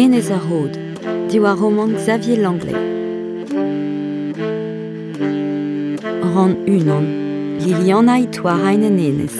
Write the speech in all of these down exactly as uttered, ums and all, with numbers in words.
Enez ar Rod, diwar romant Xavier Langlais. Rann unan, Liliana e en enez.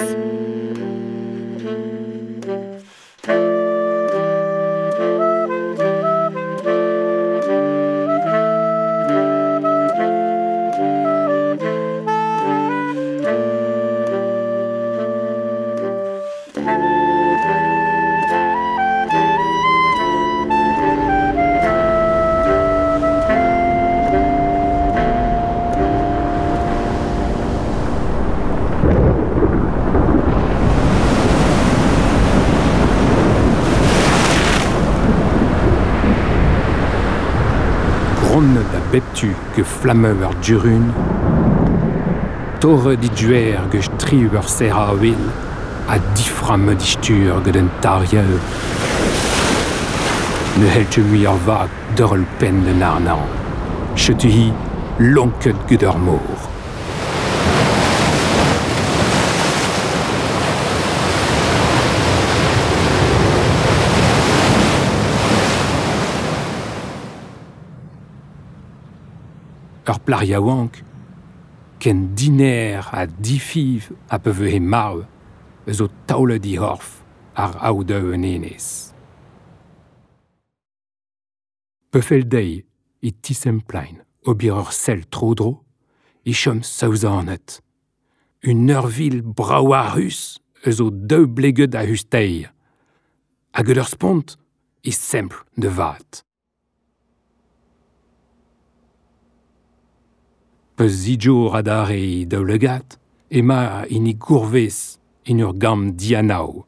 Gronnet a bep tu ge flammeu ar durun, torre di duer ge striu ur serra a wil, a diframme di stur gant un tarieu. Ne hellte mui ar vag d'ur pen den arnan. Chetu hi lonket gant ur mor. Ur plac'h yaouank, ken diner ha difiv a pe he marv eus o taolet he c'horf ar aodeu en enez. Peufel dezhi e tisemplein ober ur sell tro-dro e chom saouzanet. Un eurvil brav a-ruz eus o daou bleget a-us dezhi. Hag ur spont e sempl da vat. Peus zidjour adarre e daoulagad, ema hini gourvez en ur gambr dianav.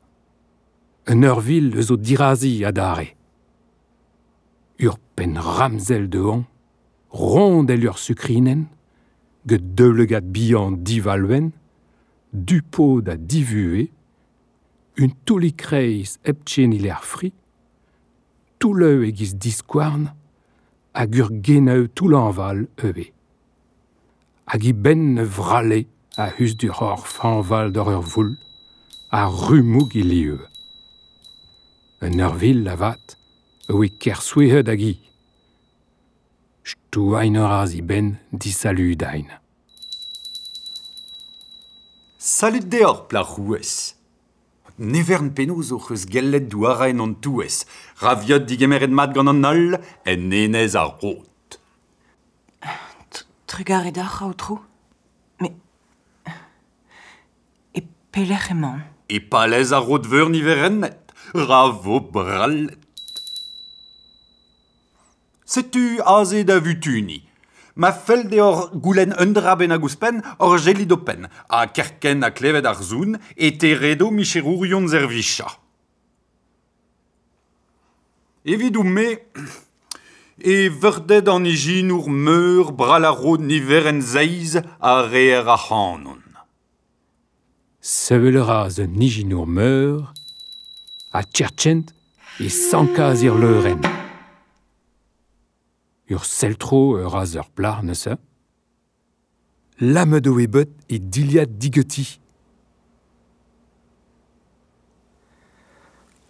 Un eurvil eus o dirazi adarre. Ur penn ramzel dehon, rond el ur sukrinen, get daoulagad bihan divalwenn, du pod ha divue, un toullig-kreiz hep tchenil er fri, toulleu e-giz diskouarn, hag ur geneu toull-añval ivez. Hag i benn ne vrale a hus du c'horf hañval d'ur ur voul, a rumoug i lieu. Un eurvil avat, oe kersouezhet hag i. Stouain ur az i benn disaludain. Salud deoc'h, plac'h rouez. Nevern penaos oc'h eus gellet douarañ an touez, raviot digemeret mat gant an holl en enez ar Rod. Trugarez deoc'h, aotrou. Met e pelec'h emaon? E palez ar Rod Veur niverennet, ra vo brallet. Setu aze da vutuni. Ma fell deoc'h goulenn un dra bennak ouzhpenn hor jellit ho penn, ha kerkent ha klevet ar soun e teredo micherourion servicha. Evidout-me, e veurded an ijinour meur brall ar rod niverenn seizh a reer ac'hanon. Sevel a ra un ijinour meur, ha tchertchent e sankaz ir leurenn. Ur seltro ur az ur plac'h neuze. Lammet oe bet e dilhad digeti.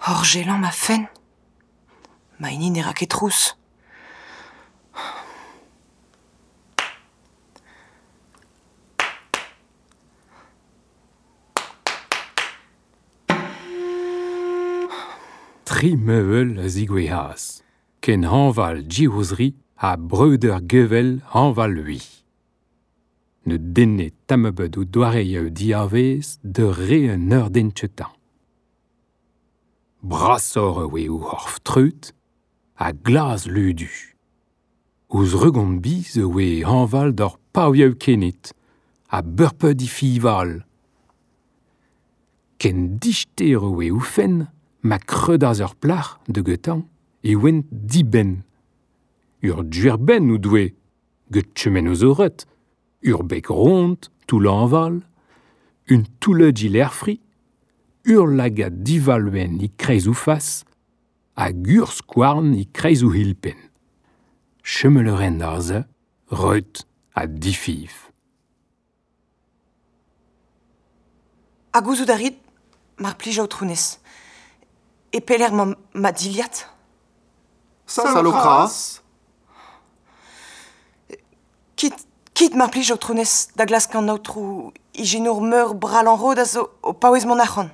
Horjellañ ma fenn. Ma hini ne ra ket trouz. Tri mevel a zigouezhas, ken hañval div-zri ha breudeur gevel hañval ui. Ne denne tamm ebet o doareioù diavez de re un eur den tchetañ. Brasoc'h oe o c'horf treut ha glas ludu. Ouzh regont biz oe hañval d'ur pavioù kened ha beurpeud i fival. Ken dister oe o fenn ma kreudaz ur plac'h de getañ e oent dibenn. Ur duerbenn ou doue, get chemen o zoret, ur beg ront, toull-añval, un toulled ilerfri, ur lagad divalwenn e kreiz o fas, hag ur skouarn e kreiz o hilpenn. Chemel ren ar se, reut ha difiv. Ha gouzout a rit, mar plij aotrounez. E pelec'h ma, ma dilhad? Salokras. Kit, kit mar plij aotrounez da glask an aotrou ijinour meur bral an rod a zo o paouez mont ac'hann.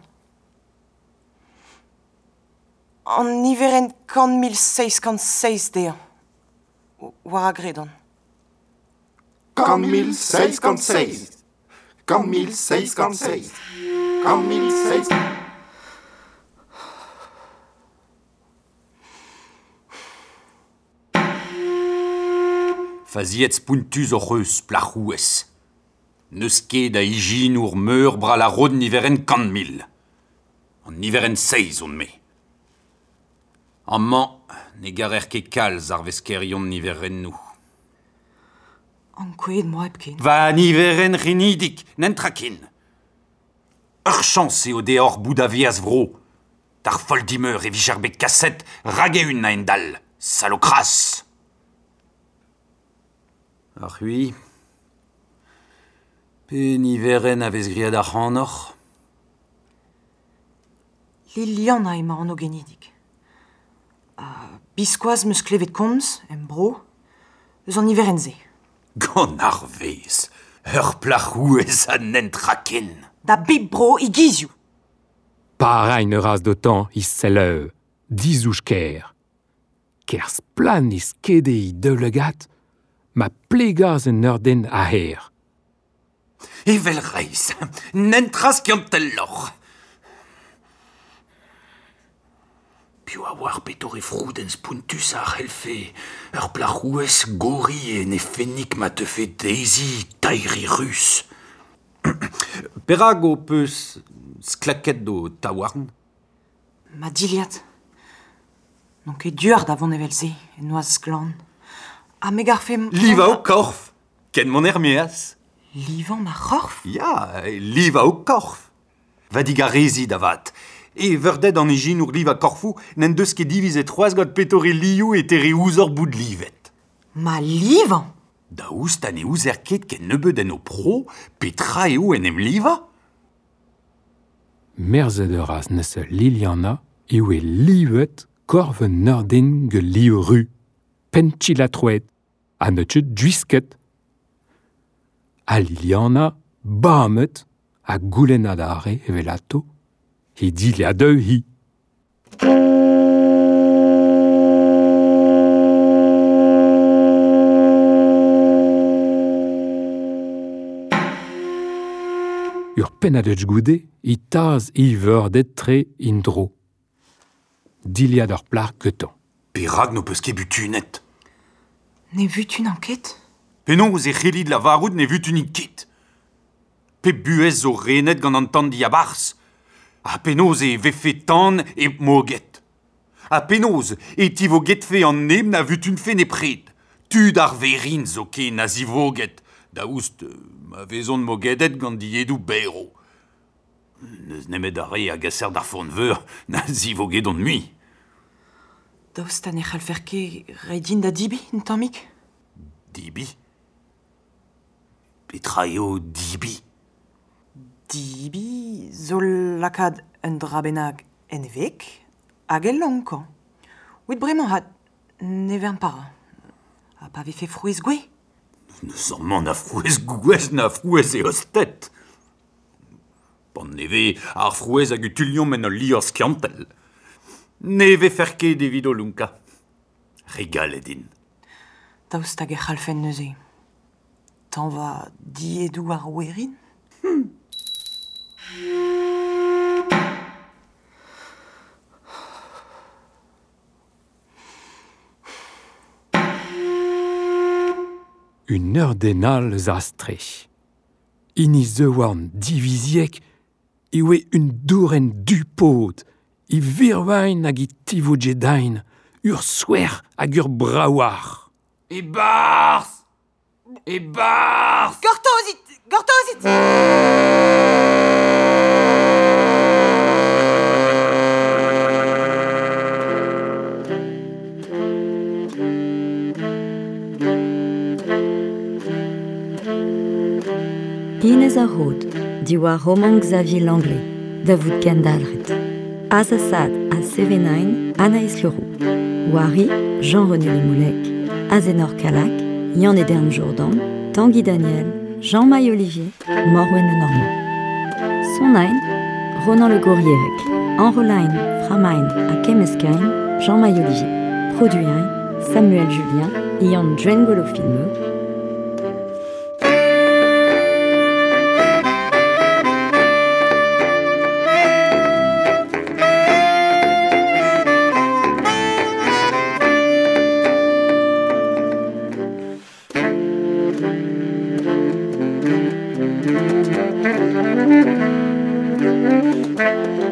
An niverenn kant mil seizh kant seizh dezhañ. War a gredan. Kant mil seizh kant seizh. Kant mil seizh kant seizh. Kant mil seizh... Faziet spountus oc'h eus plac'houez. N'eus ket a ijinour meur bral ar rod niverenn kant mil. An niverenn seizh on me. Amañ ne garer ket kalz ar veskerion niverennoù. Ankouaet 'm boa hepken. Va niverenn c'henidik, n'entra ken. Ur chañs eo deoc'h bout a veaz vro. D'ar foll dimeur e vije ar bet kaset rag-eeun a-hend-all. Salokras. Ar c'hwi. Pe niverenn a vez graet ac'hanoc'h? Liliana emañ an genidik. Ha biskoazh 'm eus klevet komz, em bro, eus an niverenn-se. Gant ar vezh, ur plac'houez a n'entra ken. Da bep bro e gizioù. Parañ ne ras d'otañ he selleu, dizouj ker. Ker splann e skede he deulegat, ma plegaz un ur den a-her. Evel reizh, n'entra skianteloc'h. Piv a oar petore froudenn spountus a c'hellfe ur plac'houez gori en he fennig ma teufe dezhi taeri ruz. Perak ho peus sklaket ho taouarn? Ma dilhad. N'on ket duoc'h da vont evel-se, en noazh glan. Ha me garfe... Livañ ho korf, ken mont er-maez. Livañ ma c'horf? Ya, livañ ho korf. Va digarezit avat. E veurded an ijinour livañ korfoù n'en deus ket divizet c'hoazh gant petore lioù e tere ouzhoc'h bout livet. Ma livañ? Daoust ha ne ouzer ket ken nebeut en ho pro, petra eo en em livañ? Merzet ur raz neuze Liliana eo e livet korf un ur den gant liv ru, penn-kil-ha-troad, ha neus ket gwisket. Ha Liliana, bamet, ha goulenn adarre evelato, he dilhad hi. Ur pennad goude e taz e veurded tre indro. Dilhad ur plac'h gantañ. Perak n'ho peus ket butunet? Ne vutunan ket? Penaos e c'hellit lavarout ne vutunin ket? Pe buhez zo renet gant an tan diabarzh? Ha penaos e vefe tan e moged? Ha penaos e tivogetfe an neb na vutunfe nepred? Tud ar verin zoken a zivoged, daoust ma vezont mogedet gant diedoù berv. N'eus nemet ar re a gaser d'ar forn-veur na zivogedont mui. Daoust ha ne c'hallfer ket reiñ din da dibi, un tammig? Dibi? Petra eo dibi? Dibi zo lakaat un dra bennak en e veg hag e lonkañ. Evit bremañ ha ne vern para. Ha pa vefe frouezh gouez? N'eus amañ na frouezh gouez na frouezh eostet. Pan ne vez ar frouezh hag utuliomp en ul liorzh skiantel. Ne vefer ket evit o lonkañ. Regalet int. Daoust hag e c'hallfen neuze. Tañva diedoù ar werin? Hmm. Un ur den all eus astre. Hini zeuan diviziek e oe un dourenn du-pod, e virvain hag e tivogedain, ur souer hag ur braouac'h. E-barzh! E-barzh! Gortozit! Gortozit! Inez ar Rod, diwar roman Xavier Langlais, da vout kendalc'het. Azasad ha Sevenain, Anaïs Leroux. Wari, Jean-René Le Moullec, Azenor Calac, Yann Edern Jourdan, Tanguy Daniel, Jean-Maï Olivier, Morwen Le Normand. Sonain, Ronan Le Gourrierec, Enrolain, Framain ha Kemmeskein, Jean-Maï Olivier. Produit Samuel Julien, Ian Djengolo Filmeux, Thank you.